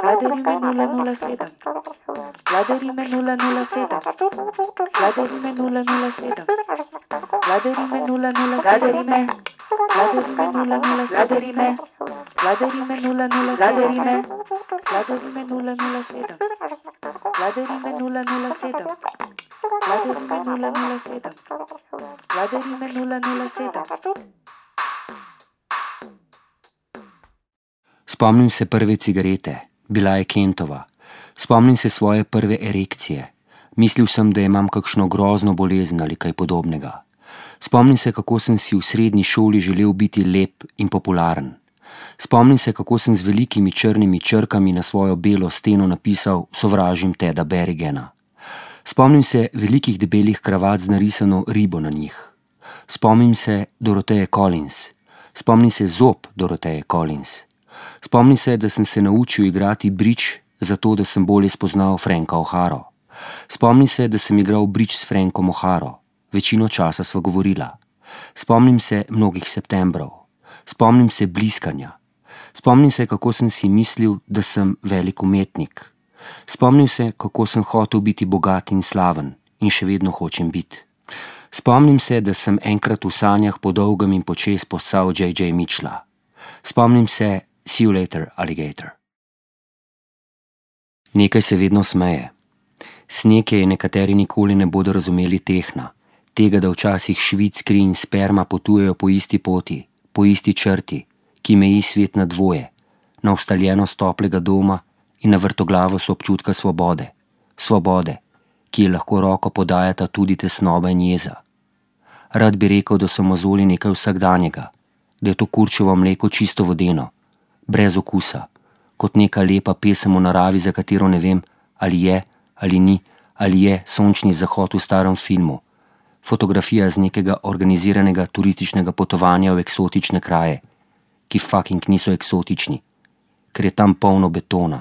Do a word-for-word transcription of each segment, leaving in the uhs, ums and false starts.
Vladarime nula nula sedem. Vladarime nula nula sedem. Vladarime nula nula sedem. Vladarime nula nula Vladarime. Vladarime nula nula Vladarime. Vladarime nula nula Vladarime. Vladarime nula nula sedem. Vladarime nula nula sedem. Vladarime nula nula sedem. Vladarime nula nula sedem. Spomnim se prve cigarete, bila je Kentova. Spomnim se svoje prve erekcije. Mislil sem, da imam kakšno grozno bolezen ali kaj podobnega. Spomnim se, kako sem si v srednji šoli želel biti lep in popularen. Spomnim se, kako sem z velikimi črnimi črkami na svojo belo steno napisal sovražim Teda Berrigena. Spomnim se velikih debelih kravat z narisano ribo na njih. Spomnim se Doroteje Collins. Spomnim se zob Doroteje Collins. Spomnim se, da sem se naučil igrati bridge, zato da sem bolje spoznal Franka O'Haro. Spomnim se, da sem igral bridge s Frankom O'Haro. Večino časa sva govorila. Spomnim se mnogih septembrov. Spomnim se bliskanja. Spomnim se, kako sem si mislil, da sem velik umetnik. Spomnim se, kako sem hotel biti bogat in slaven in še vedno hočem biti. Spomnim se, da sem enkrat v sanjah po dolgem in počez postal J J Mitchella. Spomnim se, see you later, alligator. Nekaj se vedno smeje. Sneg je nekateri nikoli ne bodo razumeli tehna, tega, da včasih švic, kri in sperma potujejo po isti poti, po isti črti, ki meji svet na dvoje, na ustaljenost toplega doma in na vrtoglavost občutka svobode. Svobode, ki je lahko roko podajata tudi tesnoba in jeza. Rad bi rekel, da so mozoli nekaj vsakdanjega, da je to kurčevo mleko čisto vodeno, brez okusa, kot neka lepa pesem o naravi, za katero ne vem, ali je, ali ni, ali je sončni zahod v starem filmu, fotografija z nekega organiziranega turističnega potovanja v eksotične kraje, ki fucking niso eksotični, ker je tam polno betona,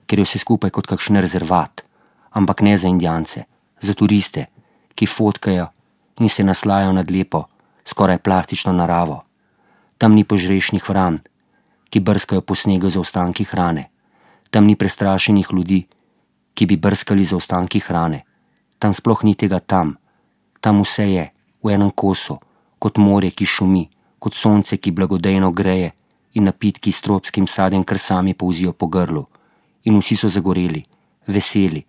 ker je vse skupaj kot kakšen rezervat, ampak ne za Indijance, za turiste, ki fotkajo in se naslajajo nad lepo, skoraj plastično naravo. Tam ni požrešnih vran, ki brskajo po snegu za ostanki hrane. Tam ni prestrašenih ljudi, ki bi brskali za ostanki hrane. Tam sploh ni tega tam. Tam vse je, v enem kosu, kot morje, ki šumi, kot sonce, ki blagodejno greje in napitki s tropskim sadjem kar sami polzijo po grlu. In vsi so zagoreli, veseli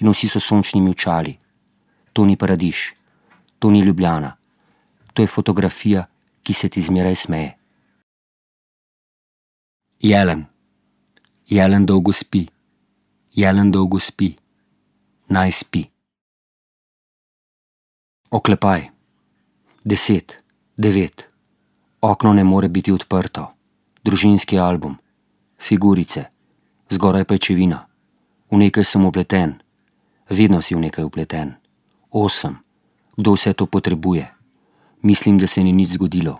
in vsi so sončnimi očali. To ni paradiž, to ni Ljubljana. To je fotografija, ki se ti zmeraj smeje. Jelen. Jelen dolgo spi. Jelen dolgo spi. Naj spi. Oklepaj. Deset. Devet. Okno ne more biti odprto. Družinski album. Figurice. Zgoraj pajčevina. V nekaj sem upleten. Vedno si v nekaj upleten. Osem. Kdo vse to potrebuje? Mislim, da se ni nič zgodilo.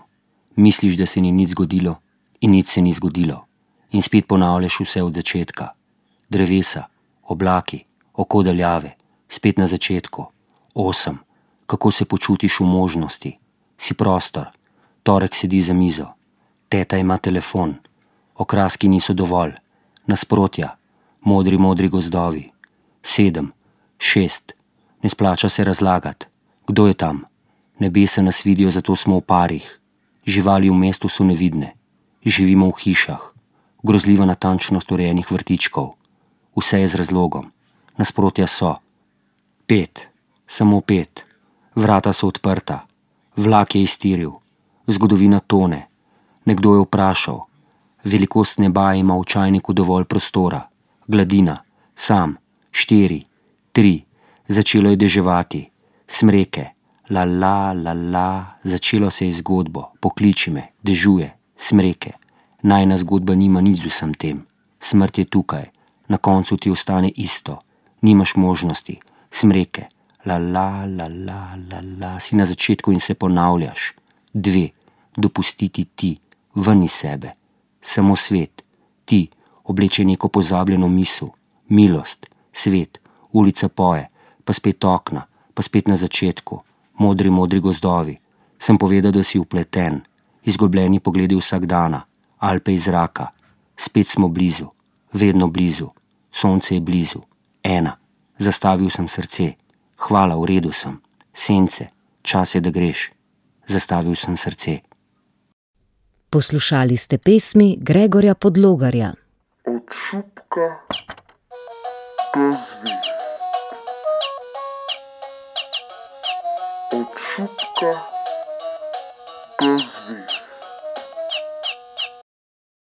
Misliš, da se ni nič zgodilo in nič se ni zgodilo. In spet ponavljaš vse od začetka. Drevesa, oblaki, oko daljave, spet na začetku. Osem. Kako se počutiš v možnosti? Si prostor. Torek sedi za mizo. Teta ima telefon. Okraski niso dovolj. Nasprotja. Modri, modri gozdovi. Sedem. Šest. Ne splača se razlagati. Kdo je tam? Nebesa nas vidijo, zato smo v parih. Živali v mestu so nevidne. Živimo v hišah. Grozljiva natančnost urejenih vrtičkov. Vse je z razlogom. Nasprotja so. Pet. Samo pet. Vrata so odprta. Vlak je iztiril. Zgodovina tone. Nekdo je vprašal. Velikost neba ima v čajniku dovolj prostora. Gladina. Sam. Štiri. Tri. Začelo je deževati. Smreke. La la la la. Začelo se je zgodbo. Pokliči me. Dežuje. Smreke. Najna zgodba nima nič z vsem tem. Smrt je tukaj. Na koncu ti ostane isto. Nimaš možnosti. Smreke. La la la la la la. Si na začetku in se ponavljaš. Dve. Dopustiti ti. Ven iz sebe. Samo svet. Ti. Obleče neko pozabljeno misel. Milost. Svet. Ulica poje. Pa spet okna. Pa spet na začetku. Modri, modri gozdovi. Sem povedal, da si upleten. Izgubljeni pogledi vsak dana. Alpe iz zraka. Spet smo blizu. vedno blizu, sonce je blizu, ena, zastavil sem srce, hvala, v redu sem, sence, čas je, da greš, zastavil sem srce. Poslušali ste pesmi Gregorja Podlogarja. Od šupka do zvezd. Od šupka do zvezd.